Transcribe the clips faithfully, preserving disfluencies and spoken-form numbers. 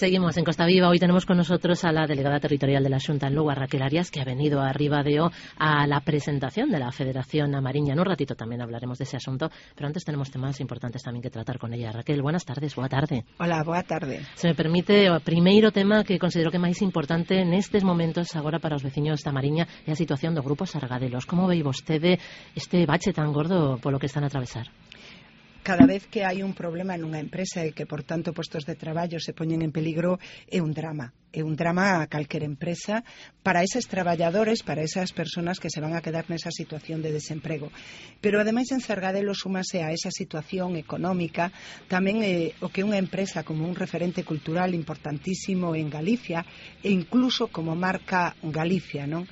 Seguimos en Costa Viva. Hoy tenemos con nosotros a la delegada territorial de la Xunta en Lugo, a Raquel Arias, que ha venido a Ribadeo a la presentación de la Federación Amariña. En un ratito también hablaremos de ese asunto, pero antes tenemos temas importantes también que tratar con ella. Raquel, buenas tardes, boa tarde. Hola, boa tarde. Se me permite o primeiro tema que considero que é máis importante nestes momentos agora para os veciños da Mariña é a situación do Grupo Sargadelos. Como vei vostede este bache tan gordo polo que están a atravesar? Cada vez que hai un problema nunha empresa e que, por tanto, postos de traballo se poñen en peligro, é un drama. É un drama a calquera empresa para eses traballadores, para esas persoas que se van a quedar nesa situación de desemprego. Pero, ademais, en Sargadelos súmase a esa situación económica tamén eh, o que unha empresa como un referente cultural importantísimo en Galicia e incluso como marca Galicia, non?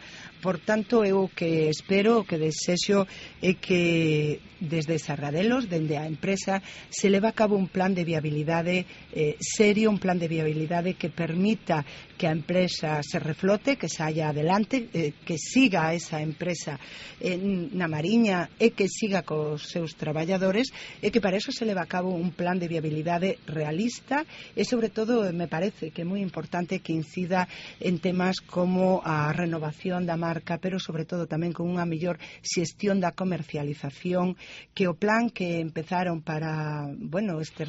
Por tanto, eu o que espero, o que desexo é que desde Sargadelos, dende a empresa, se leva a cabo un plan de viabilidade eh, serio, un plan de viabilidade que permita que a empresa se reflote, que saia adelante, eh, que siga esa empresa eh, na Mariña e que siga cos seus traballadores, e que para eso se leva a cabo un plan de viabilidade realista e, sobre todo, me parece que é moi importante que incida en temas como a renovación da marca, pero sobre todo tamén con unha mellor xestión da comercialización, que o plan que empezaron para, bueno, este,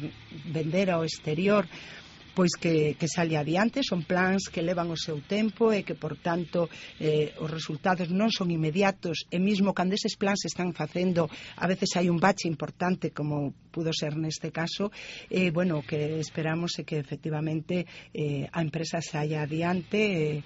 vender ao exterior, pois que, que sale adiante. Son plans que levan o seu tempo e que, por tanto, eh, os resultados non son inmediatos, e mesmo cando eses plans se están facendo, a veces hai un bache importante, como pudo ser neste caso. E, eh, bueno, o que esperamos é que, efectivamente, eh, a empresa saia adiante, eh,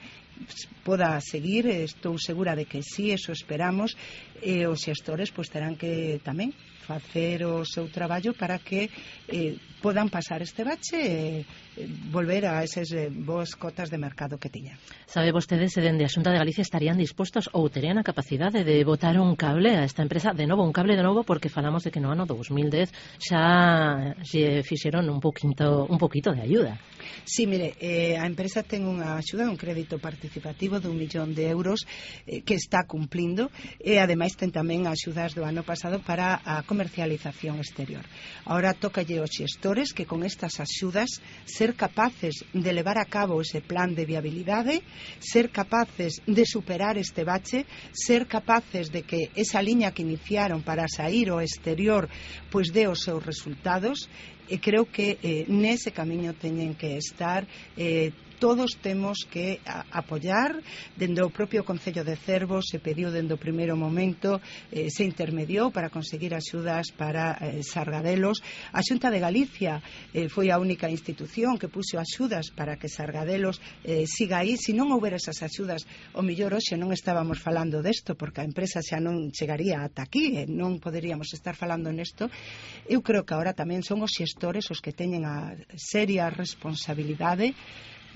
poda seguir. Estou segura de que sí, eso esperamos, e os xestores pois terán que tamén facer o seu traballo para que eh, podan pasar este bache e eh, volver a eses eh, boas cotas de mercado que tiñan. Sabe vostede se dende a Xunta de Galicia estarían dispostos ou terían a capacidade de botar un cable a esta empresa, de novo, un cable de novo, porque falamos de que no ano dos mil dez xa lle fixeron un poquito, un poquito de ayuda. Sí, mire, eh, a empresa ten unha axuda, un crédito participativo de un millón de euros eh, que está cumplindo, e ademais ten tamén axudas do ano pasado para a comercialización exterior. Ahora tócalle aos xestores que con estas axudas ser capaces de levar a cabo ese plan de viabilidade, ser capaces de superar este bache, ser capaces de que esa liña que iniciaron para sair ao exterior pois dé os seus resultados. E creo que eh, nese camiño teñen que estar. eh, Todos temos que a, apoiar. Dende o propio Concello de Cervo se pediu dende o primeiro momento, eh, se intermediou para conseguir axudas para eh, Sargadelos. A Xunta de Galicia eh, foi a única institución que puxo axudas para que Sargadelos eh, siga aí. Se non houber esas axudas, o mellor hoxe non estábamos falando desto, porque a empresa xa non chegaría ata aquí e non poderíamos estar falando nesto. Eu creo que agora tamén son os xestores os que teñen a seria responsabilidade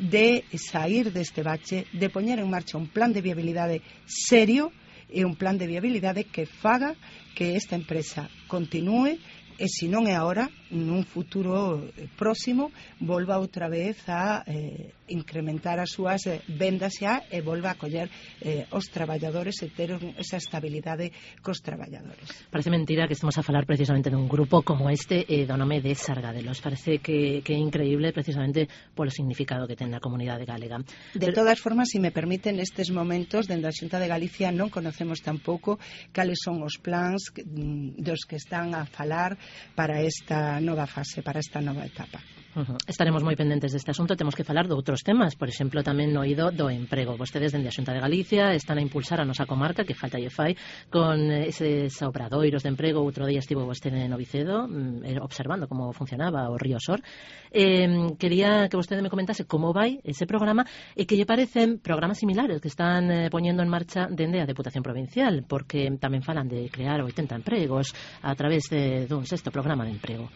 de sair deste bache, de poñer en marcha un plan de viabilidade serio e un plan de viabilidade que faga que esta empresa continúe e, se non é agora, nun futuro próximo, volva outra vez a eh, incrementar as súas eh, vendas xa e volva a coller eh, os traballadores e ter esa estabilidade cos traballadores. Parece mentira que estemos a falar precisamente dun grupo como este eh, do nome de Sargadelos. Parece que, que é increíble precisamente polo significado que ten na comunidade galega. De Pero... todas formas, se me permiten, nestes momentos, dende a Xunta de Galicia non conocemos tampouco cales son os plans que, dos que están a falar para esta nova fase, para esta nova etapa. Uh-huh. Estaremos moi pendentes deste asunto. Temos que falar de outros temas, por exemplo, tamén no oído do emprego. Vostedes dende a Xunta de Galicia están a impulsar a nosa comarca, que falta lle fai, con eses obradoiros de emprego. Outro día estivo vostede no Vicedo observando como funcionaba o Río Sor. Eh, quería que vostede me comentase como vai ese programa e que lle parecen programas similares que están eh, poñendo en marcha dende a Deputación Provincial, porque tamén falan de crear oitenta empregos a través de dun sexto programa de emprego.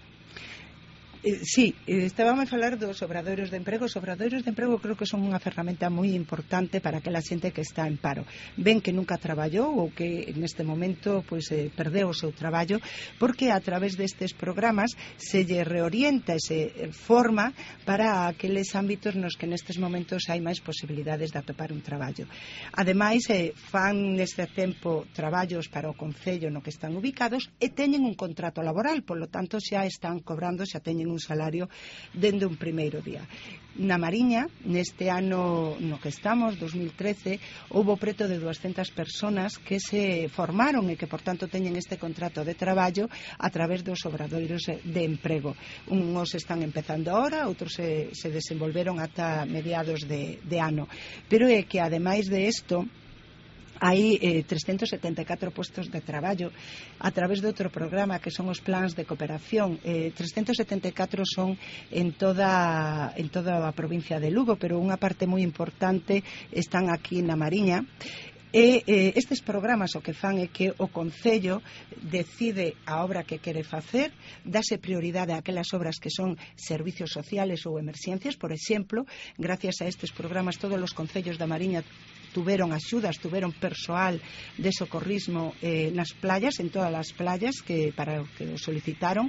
Eh, sí, eh, estábamos a falar dos obradoiros de emprego. Os obradoiros de emprego creo que son unha ferramenta moi importante para aquela xente que está en paro. Ven que nunca traballou ou que neste momento pois, eh, perdeu o seu traballo, porque a través destes programas se lle reorienta e se forma para aqueles ámbitos nos que nestes momentos hai máis posibilidades de atopar un traballo. Ademais, eh, fan neste tempo traballos para o Concello no que están ubicados e teñen un contrato laboral, polo tanto xa están cobrando, xa teñen un salario dende un primeiro día. Na Mariña, neste ano no que estamos, dos mil trece, houbo preto de duascentas persoas que se formaron e que, por tanto, teñen este contrato de traballo a través dos obradoiros de emprego. Uns están empezando ahora, outros se, se desenvolveron ata mediados de, de ano. Pero é que, ademais de isto, hai eh, trescentos setenta e catro postos de traballo a través de outro programa que son os plans de cooperación. eh, trescentos setenta e catro son en toda, en toda a provincia de Lugo, pero unha parte moi importante están aquí na Mariña. E eh, estes programas o que fan é que o Concello decide a obra que quere facer, dase prioridade a aquelas obras que son servicios sociales ou emerxencias. Por exemplo, gracias a estes programas todos os concellos da Mariña tuveron axudas, tuveron persoal de socorrismo eh, nas playas, en todas as playas que para o que o solicitaron.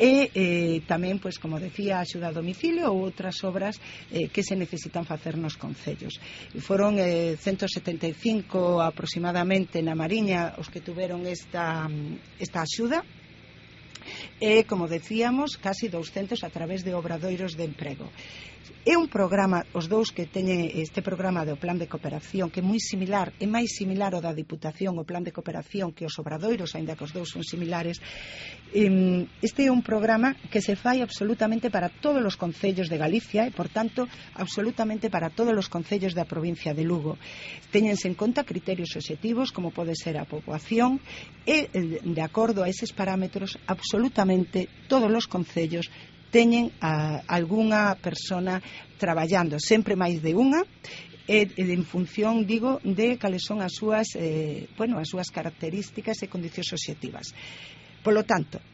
E eh, tamén, pois, como decía, axuda a domicilio ou outras obras eh, que se necesitan facer nos concellos. E foron eh, ciento setenta e cinco aproximadamente na Mariña os que tuveron esta, esta axuda. E, como decíamos, casi douscentos a través de obradoiros de emprego. É un programa, os dous que teñen este programa do Plan de Cooperación, que é moi similar, é máis similar ao da Diputación, o Plan de Cooperación, que os obradoiros, aínda que os dous son similares. Este é un programa que se fai absolutamente para todos os concellos de Galicia e, por tanto, absolutamente para todos os concellos da provincia de Lugo. Téñense en conta criterios obxectivos, como pode ser a poboación, e, de acordo a eses parámetros, absolutamente todos os concellos teñen a algunha persona traballando, sempre máis de unha, e, e en función, digo, de cales son as súas, eh, bueno, as súas características e condicións obxectivas. Polo tanto,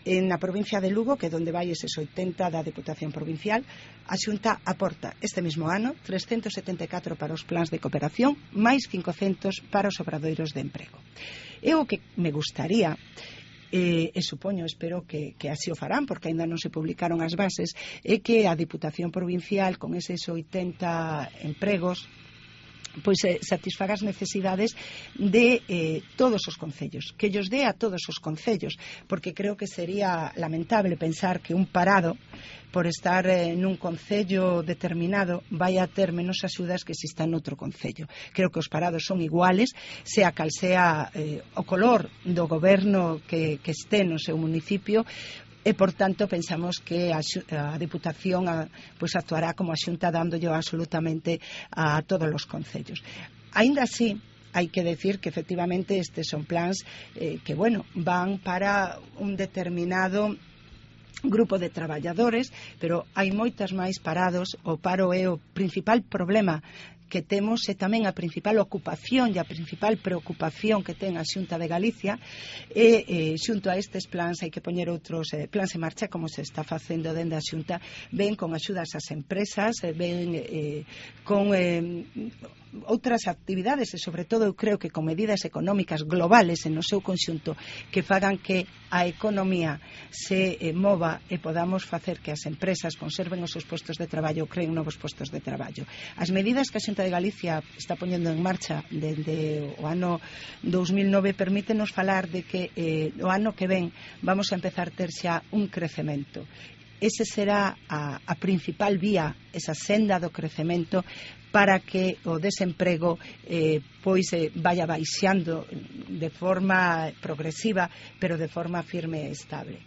na provincia de Lugo, que é onde vai eses oitenta da Deputación Provincial, a Xunta aporta este mesmo ano trescentos setenta e catro para os plans de cooperación, máis cincocentos para os obradoiros de emprego. E o que me gustaría, E, e supoño, espero que, que así o farán, porque ainda non se publicaron as bases, é que a Diputación Provincial, con eses oitenta empregos, pois eh, satisfaga as necesidades de eh, todos os concellos, que llos dé a todos os concellos, porque creo que sería lamentable pensar que un parado, por estar eh, nun concello determinado, vai a ter menos axudas que se está noutro concello. Creo que os parados son iguales, sea cal sea eh, o color do goberno que, que este no seu municipio. E, por tanto, pensamos que a, a Diputación a, pues, actuará como a Xunta, dándolle absolutamente a todos os concellos. Aínda así, hai que decir que efectivamente estes son plans eh, que, bueno, van para un determinado grupo de traballadores, pero hai moitas máis parados. O paro é o principal problema que temos, e tamén a principal ocupación e a principal preocupación que ten a Xunta de Galicia. E eh, xunto a estes plans hai que poñer outros eh, plans en marcha, como se está facendo dende a Xunta, ben con axudas ás empresas, ben eh, con eh, outras actividades, e sobre todo eu creo que con medidas económicas globales en o seu conxunto que fagan que a economía se eh, mova e podamos facer que as empresas conserven os seus postos de traballo ou creen novos postos de traballo. As medidas que a Xunta de Galicia está poñendo en marcha desde o ano dous mil nove permítenos falar de que eh, o ano que ven vamos a empezar a ter xa un crecemento. Ese será a, a principal vía, esa senda do crecemento, para que o desemprego eh, pois eh, vaya baixando de forma progresiva, pero de forma firme e estable.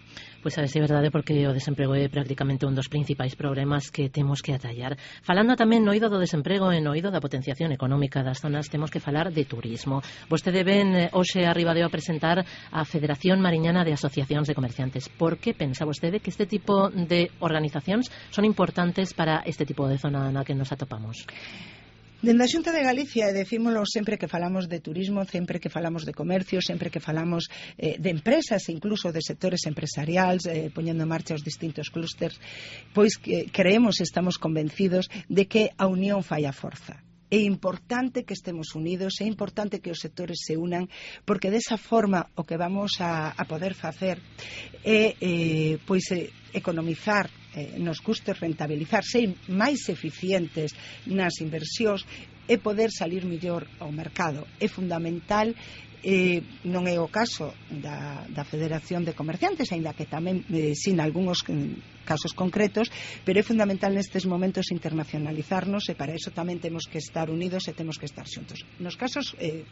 Pois a ver se é verdade, porque o desemprego é prácticamente un dos principais problemas que temos que atallar. Falando tamén no oído do desemprego e no oído da potenciación económica das zonas, temos que falar de turismo. Vostede ven hoxe arriba de a presentar a Federación Mariñana de Asociacións de Comerciantes. Por que pensa vostede que este tipo de organizacións son importantes para este tipo de zona na que nos atopamos? Dende a Xunta de Galicia, e decímolo sempre que falamos de turismo, sempre que falamos de comercio, sempre que falamos eh, de empresas, incluso de sectores empresariais, eh, poñendo en marcha os distintos clústers, pois que creemos e estamos convencidos de que a unión fai a forza. É importante que estemos unidos, é importante que os sectores se unan, porque desa forma o que vamos a, a poder facer é eh, pois, eh, economizar eh, nos custos, rentabilizar, ser máis eficientes nas inversións e poder salir mellor ao mercado. É fundamental. Eh, non é o caso da, da Federación de Comerciantes, aínda que tamén eh, sin algúns casos concretos, pero é fundamental nestes momentos internacionalizarnos, e para iso tamén temos que estar unidos e temos que estar xuntos. Nos casos, eh,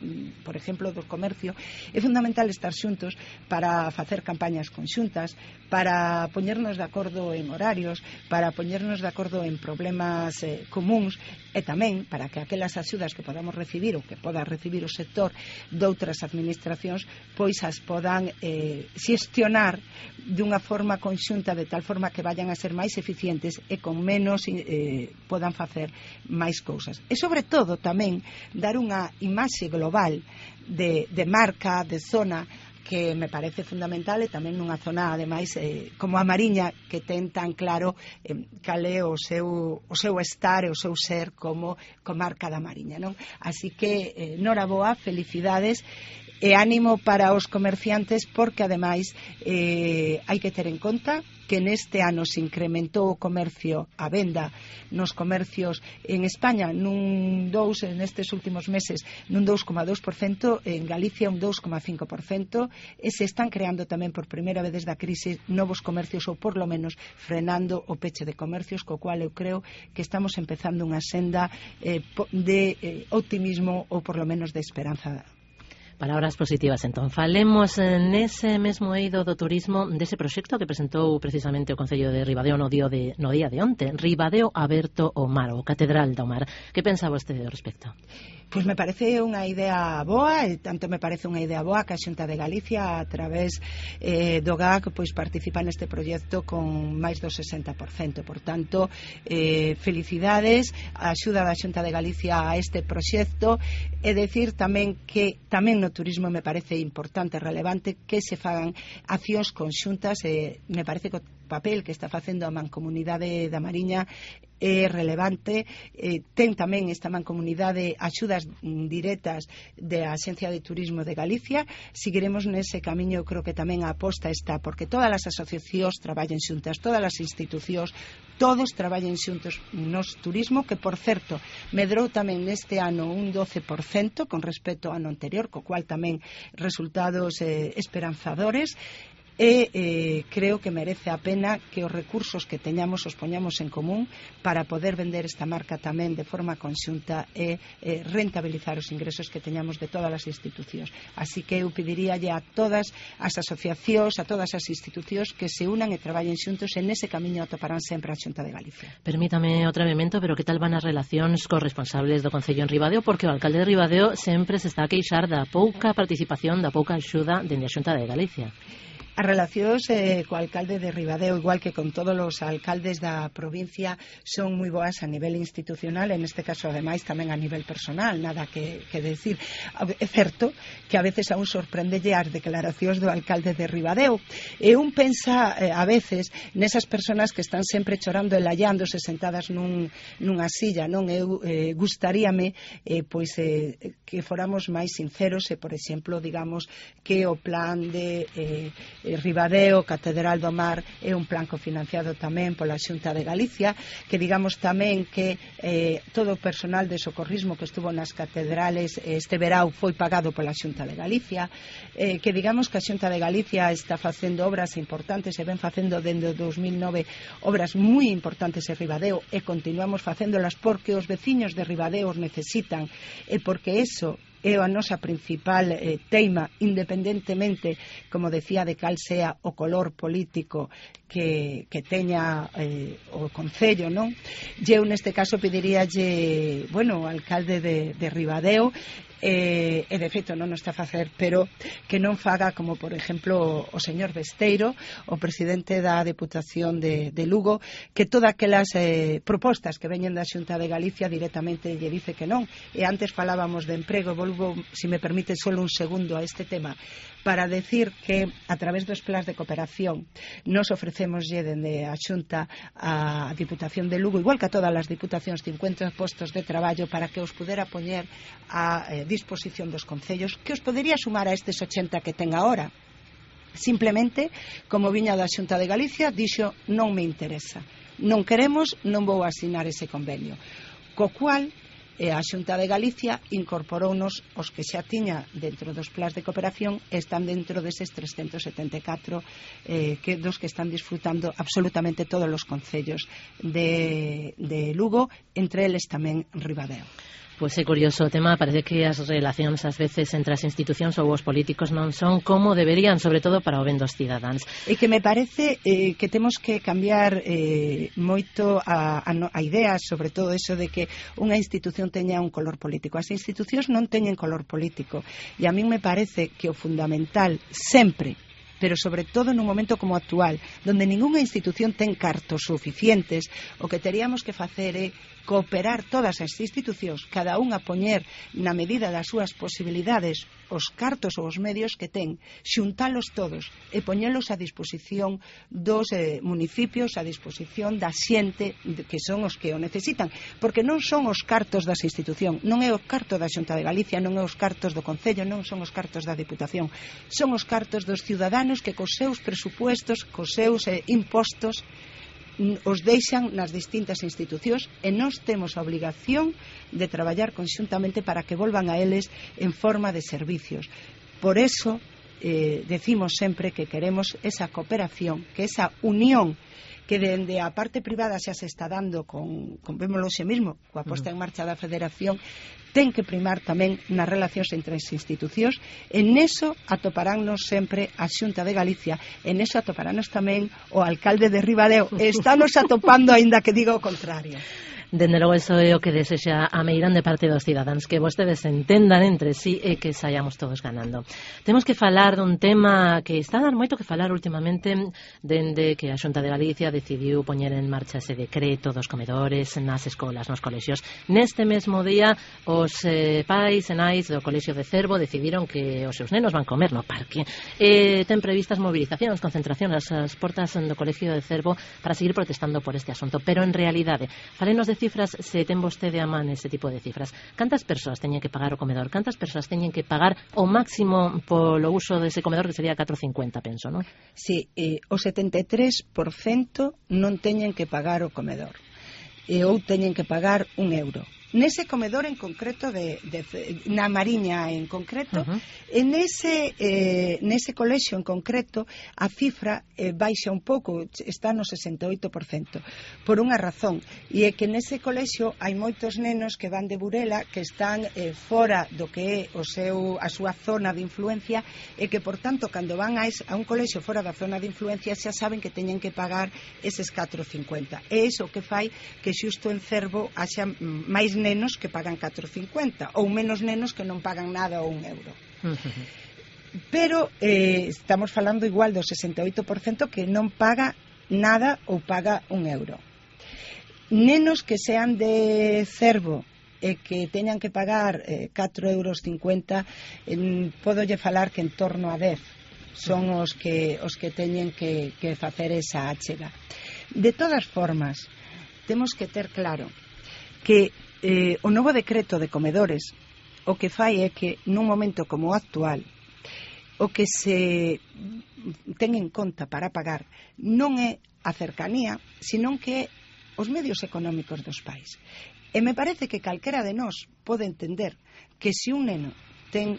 por exemplo, do comercio, é fundamental estar xuntos para facer campañas conxuntas, para poñernos de acordo en horarios, para poñernos de acordo en problemas eh, comuns, e tamén para que aquelas axudas que podamos recibir ou que poda recibir o sector doutras administracións, pois as podan eh, xestionar dunha forma conxunta, de tal forma que vayan a ser máis eficientes e con menos eh, podan facer máis cousas. E sobre todo tamén dar unha imaxe global de, de marca, de zona, que me parece fundamental, e tamén nunha zona ademais eh, como a Mariña, que ten tan claro eh, cal é o seu, o seu estar e o seu ser como comarca da Mariña, non? Así que eh, noraboa, felicidades e ánimo para os comerciantes, porque ademais eh, hai que ter en conta que neste ano se incrementou o comercio, a venda nos comercios en España nun dous, nestes últimos meses nun dous coma dous por cento, en Galicia un dous coma cinco por cento, e se están creando tamén por primeira vez desde a crise novos comercios, ou por lo menos frenando o peche de comercios, co cual eu creo que estamos empezando unha senda eh, de eh, optimismo, ou por lo menos de esperanza. Palabras positivas, entón. Falemos nese mesmo eido do turismo dese proxecto que presentou precisamente o Concello de Ribadeo no día de, no día de onte. Ribadeo aberto ao mar, ou Catedral do Mar. Que pensa vostede ao respecto? Pois me parece unha idea boa, e tanto me parece unha idea boa que a Xunta de Galicia, a través eh, do G A C, pois participa neste proxecto con máis do sesenta por cento. Por tanto, eh, felicidades, a axuda da Xunta de Galicia a este proxecto, e decir tamén que tamén no turismo me parece importante e relevante que se fagan accións conxuntas, e me parece que o papel que está facendo a Mancomunidade da Mariña é relevante. Eh, ten tamén esta Mancomunidade axudas directas da Axencia de Turismo de Galicia. Seguiremos nese camiño. Creo que tamén a aposta está porque todas as asociacións traballen xuntas, todas as institucións, todos traballen xuntos nos turismo, que por certo medrou tamén neste ano un doce por cento con respecto ao ano anterior, co cual tamén resultados eh, esperanzadores. E eh, creo que merece a pena que os recursos que teñamos os poñamos en común para poder vender esta marca tamén de forma conxunta e eh, rentabilizar os ingresos que teñamos de todas as institucións. Así que eu pediríalle a todas as asociacións, a todas as institucións, que se unan e traballen xuntos, e nese camiño atoparán sempre a Xunta de Galicia. Permítame outro elemento, pero que tal van as relacións cos responsables do Concello en Ribadeo? Porque o alcalde de Ribadeo sempre se está a queixar da pouca participación, da pouca axuda dende a Xunta de Galicia. As relacións eh, co alcalde de Ribadeo, igual que con todos os alcaldes da provincia, son moi boas a nivel institucional, en este caso ademais tamén a nivel personal, nada que, que decir. É certo que a veces a un sorprendelle as declaracións do alcalde de Ribadeo, e un pensa eh, a veces nesas persoas que están sempre chorando e laiándose sentadas nun, nunha silla, non? Eu eh, gustaríame eh, pois eh, que fóramos máis sinceros e, por exemplo, digamos que o plan de eh, Ribadeo, Catedral do Mar, é un plan cofinanciado tamén pola Xunta de Galicia, que digamos tamén que eh, todo o personal de socorrismo que estuvo nas catedrales este verao foi pagado pola Xunta de Galicia, eh, que digamos que a Xunta de Galicia está facendo obras importantes, e ven facendo dende o dos mil nove obras moi importantes en Ribadeo, e continuamos facéndolas porque os veciños de Ribadeo os necesitan, e porque eso é a nosa principal eh, teima, independentemente, como decía, de cal sea o color político que, que teña eh, o Concello, non? Eu neste caso pediríalle, bueno, ao alcalde de, de Ribadeo, e, e de feito non o está a facer, pero que non faga como, por exemplo, o señor Besteiro, o presidente da Deputación de, de Lugo, que todas aquelas eh, propostas que veñen da Xunta de Galicia directamente lle dice que non. E antes falábamos de emprego, volvo, se me permite, solo un segundo a este tema, para decir que a través dos plans de cooperación nos ofrecemoslle dende a Xunta a Diputación de Lugo, igual que a todas as diputacións, cincuenta postos de traballo para que os pudera poñer a eh, disposición dos concellos, que os podería sumar a estes ochenta que ten agora. Simplemente, como viña da Xunta de Galicia, dixo non me interesa, non queremos, non vou asinar ese convenio, co cual e a Xunta de Galicia incorporounos os que xa tiña dentro dos plans de cooperación, están dentro deses trescentos setenta e catro eh, que, dos que están disfrutando absolutamente todos os concellos de, de Lugo, entre eles tamén Ribadeo. Pois é curioso o tema, parece que as relacións ás veces entre as institucións ou os políticos non son como deberían, sobre todo para o ben dos cidadáns. E que me parece eh, que temos que cambiar eh, moito a, a, a idea sobre todo eso de que unha institución teña un color político. As institucións non teñen color político e a min me parece que o fundamental sempre, pero sobre todo nun momento como actual, donde ningunha institución ten cartos suficientes, o que teríamos que facer é cooperar todas as institucións, cada unha poñer na medida das súas posibilidades os cartos ou os medios que ten, xuntalos todos e poñelos a disposición dos eh, municipios, a disposición da xente que son os que o necesitan, porque non son os cartos das institucións, non é o carto da Xunta de Galicia, non é os cartos do Concello, non son os cartos da Diputación, son os cartos dos ciudadanos que cos seus presupuestos, cos seus eh, impostos os deixan nas distintas institucións e nós temos a obrigación de traballar conxuntamente para que volvan a eles en forma de servicios. Por eso eh, decimos sempre que queremos esa cooperación, que esa unión que dende a parte privada xa se está dando con, con vémolo xe mesmo, coa posta en marcha da Federación, ten que primar tamén nas relacións entre as institucións, e neso atoparánnos sempre a Xunta de Galicia, e neso atoparánnos tamén o alcalde de Ribadeo, e estános atopando aínda que diga o contrario. Dende logo, eso é o que desexa a meirande parte dos cidadáns, que vostedes entendan entre sí e que saiamos todos ganando. Temos que falar dun tema que está a dar moito que falar últimamente, dende que a Xunta de Galicia decidiu poñer en marcha ese decreto dos comedores nas escolas, nos colexios. Neste mesmo día, os eh, pais e nais do colexio de Cervo decidiron que os seus nenos van comer no parque. E ten previstas movilizacións, concentracións ás portas do colexio de Cervo para seguir protestando por este asunto. Pero en realidade, falenos de cifras, se ten vostede a man ese tipo de cifras. Cantas persoas teñen que pagar o comedor? Cantas persoas teñen que pagar o máximo polo uso dese comedor, que sería catro cincuenta, penso, non? Si, eh, o setenta e tres por cento non teñen que pagar o comedor, e ou teñen que pagar un euro. Nese comedor en concreto, de, de, na Mariña en concreto, uh-huh. en ese, eh, nese colexio en concreto, a cifra eh, baixa un pouco, está no sesenta e oito por cento, por unha razón, e é que nese colexio hai moitos nenos que van de Burela, que están eh, fora do que é o seu, a súa zona de influencia, e que, por tanto, cando van a, es, a un colexio fora da zona de influencia, xa saben que teñen que pagar eses catro cincuenta. E iso que fai que xusto en Cervo haxa máis nenos que pagan catro cincuenta ou menos nenos que non pagan nada ou un euro. Pero eh, estamos falando igual do sesenta e oito por cento que non paga nada ou paga un euro. Nenos que sean de Cervo e que teñan que pagar eh, catro euros cincuenta, eh, podolle falar que en torno a dez son os que, os que teñen que, que facer esa achega. De todas formas, temos que ter claro que eh, o novo decreto de comedores o que fai é que nun momento como o actual o que se ten en conta para pagar non é a cercanía, senón que é os medios económicos dos pais. E me parece que calquera de nós pode entender que se un neno ten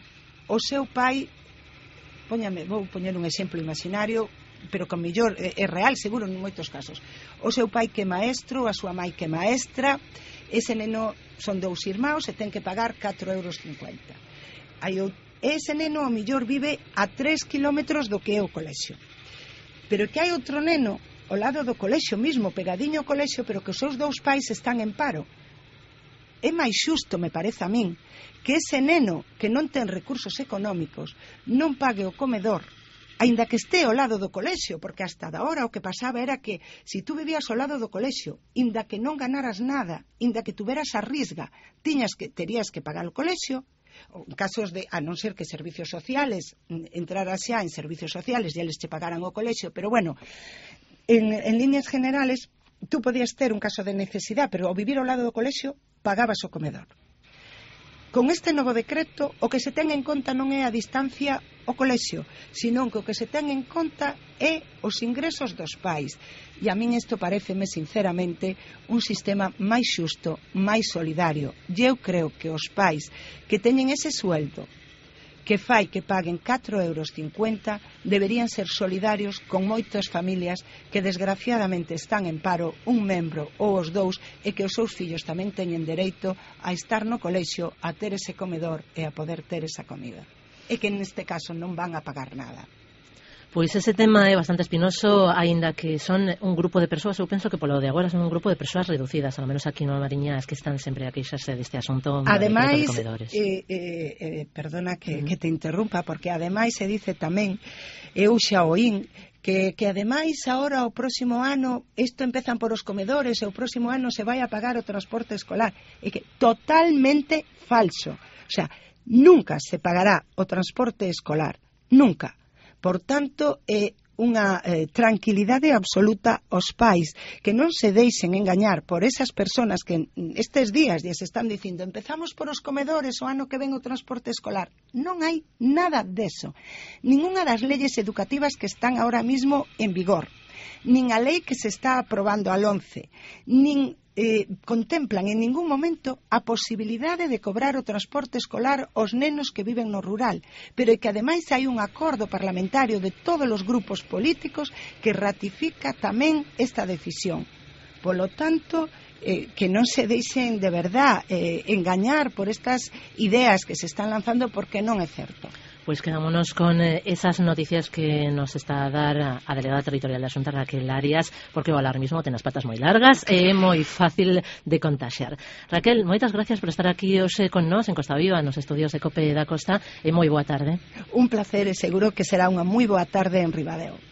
o seu pai, póñame, vou poñer un exemplo imaginario, pero con mellor é, é real seguro en moitos casos, o seu pai que é maestro, a súa mai que é maestra, ese neno son dous irmãos e ten que pagar catro euros cincuenta. Hai o, ese neno ao mellor vive a tres kilómetros do que é o colexio, pero que hai outro neno ao lado do colexio mismo, pegadiño ao colexio, pero que os seus dous pais están en paro. É máis xusto, me parece a min, que ese neno que non ten recursos económicos non pague o comedor, aínda que este ao lado do colexio, porque hasta da hora o que pasaba era que se tú vivías ao lado do colexio, aínda que non ganaras nada, aínda que tuveras a risga, tiñas que, terías que pagar o colexio, ou en casos de, a non ser que servicios sociales, entraras xa en servicios sociales e eles te pagaran o colexio, pero bueno, en, en líneas generales, tú podías ter un caso de necesidade, pero ao vivir ao lado do colexio, pagabas o comedor. con este novo decreto o que se ten en conta non é a distancia ao colexio, senón que o que se ten en conta é os ingresos dos pais. E a min isto pareceme sinceramente un sistema máis xusto, máis solidario. E eu creo que os pais que teñen ese sueldo que fai que paguen catro euros cincuenta deberían ser solidarios con moitas familias que desgraciadamente están en paro un membro ou os dous e que os seus fillos tamén teñen dereito a estar no colexio, a ter ese comedor e a poder ter esa comida, e que neste caso non van a pagar nada. Pois ese tema é bastante espinoso, aínda que son un grupo de persoas, eu penso que polo de agora son un grupo de persoas reducidas, ao menos aquí no Mariña, as que están sempre a queixarse deste asunto. Ademais, eh, eh, eh, perdona que, mm. que te interrumpa, porque ademais se dice tamén, eu xa oín, que, que ademais agora o próximo ano isto empezan por os comedores e o próximo ano se vai a pagar o transporte escolar, e que totalmente falso. O sea, nunca se pagará o transporte escolar, nunca. Por tanto, é unha eh, tranquilidade absoluta aos pais, que non se deixen engañar por esas persoas que estes días lles están dicindo empezamos por os comedores o ano que ven o transporte escolar. Non hai nada deso. Ninguna das leyes educativas que están ahora mismo en vigor, nin a lei que se está aprobando al once, nin Eh, contemplan en ningún momento a posibilidade de cobrar o transporte escolar aos nenos que viven no rural, pero é que ademais hai un acordo parlamentario de todos os grupos políticos que ratifica tamén esta decisión. Polo tanto, eh, que non se deixen de verdad eh, engañar por estas ideas que se están lanzando, porque non é certo. Pois quedámonos con eh, esas noticias que nos está a dar a, a delegada territorial da Xunta, Raquel Arias, porque o alarmismo ten as patas moi largas e é moi fácil de contaxiar. Raquel, moitas gracias por estar aquí hoxe con nós en Costa Viva, nos estudios de COPE da Costa, e moi boa tarde. Un placer e seguro que será unha moi boa tarde en Ribadeo.